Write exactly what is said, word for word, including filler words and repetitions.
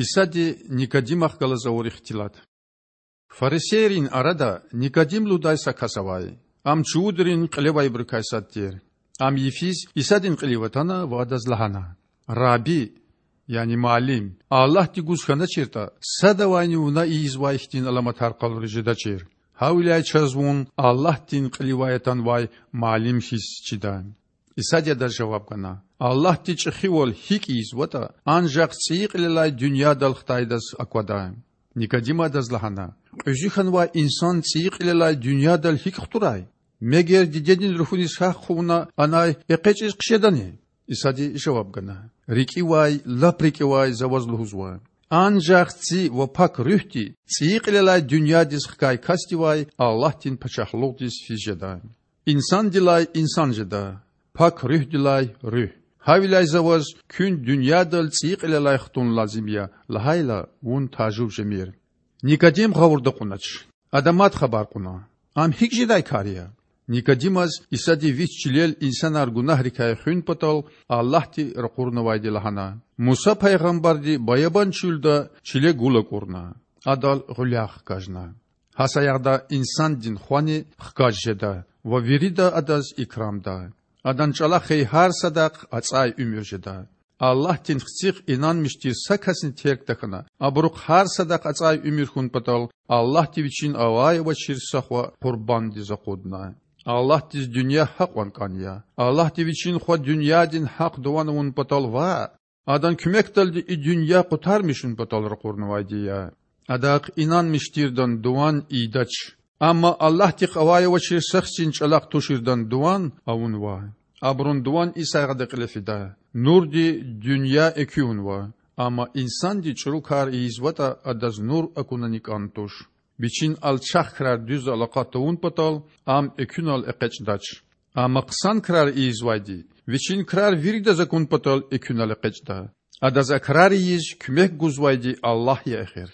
Исади Никодимахъ галаз авур ихтилат. Фарисейрин арада Никодим лугьудай са кас авай. Ам чувудрин кьилевайбурукай сад тир. Ам йифиз Исадин кьилив атана ва Адаз лагьана: Рабби, яни Муаллим, Аллагьди гуз хьаначиртӀа, садавайни Вуна ийизвай хьтин аламатар къалуриз жедачир. Гьавиляй чаз Вун Аллагьдин кьиливай атанвай Муаллим хьиз чида. Исади адаз жаваб гана: Аллагьди чӀехивал гьикӀ ийизватӀа, анжах цӀийи кьилелай дуьньядал хтайдаз аквада. Никодима Адаз лагьана: Кьуьзуь хьанвай инсан цӀийи кьилелай дуьньядал гьикӀ хтурай? Мегер дидедин руфуниз гьахъ хъувуна анай экъечӀиз хъжедани? Исади жаваб гана: РикӀивай, лап рикӀивай За ваз лугьузва: анжах Ци ва Пак Руьгьди цӀийи кьилелай дуьньядиз хкай касдивай Аллагьдин пачагьлугъдиз физ жеда. Инсандилай инсан жеда, Пак Руьгьдилай руьгь. Гьавиляй За ваз: Куьн дуьньядал цӀийи кьилелай хтун лазим я,– лагьайла, вун тажув жемир. Никодим гъавурда кьунач. Ада мад хабар кьуна: Ам гьикӀ жедай кар я? Никодимаз Исади Вич чилел инсанар гунагьрикай хуьн патал Аллагьди ракъурнавайди лагьана: Муса пайгъамбарди баябан чуьлда чиле гул акӀурна, адал гъуьлягъ хкажна. Гьа саягъда Инсандин Хвани хкаж жеда ва вирида Адаз икрамда. Адан чӀалахъай гьар садахъ ацӀай уьмуьр жеда. Аллагьдин Хцихъ инанмиш тир са касни терг тахьана, абурухъ гьар садахъ ацӀай уьмуьр хьун патал Аллагьди Вичин авай-авачир са Хва къурбандиз акъудна. Аллагьдиз дуьнья гьакьван кӀан я. Аллагьди Вичин Хва дуьньядин гьахъ дуван авун патал ваъ, Адан куьмекдалди и дуьнья къутармишун патал ракъурнавайди я. Адахъ инанмиш тирдан дуван ийидач. Амма Аллагьдихъ авай-авачир са Хцин чӀалахъ туширдан дуван авунва. Абурун дуван и сагъда кьиле фида: нурди дуьнья экуьнва, амма инсанди чӀуру кар ийизватӀа, адаз нур акунани кӀан туш. Вичин алчах крар дуьз алакъа тавун патал ам экуьнал экъечӀдач. Амма хъсан крар ийизвайди вичин крар виридаз акун патал экуьнал экъечӀда. Адаз а крар ийиз куьмек гузвайди Аллагь я эхир.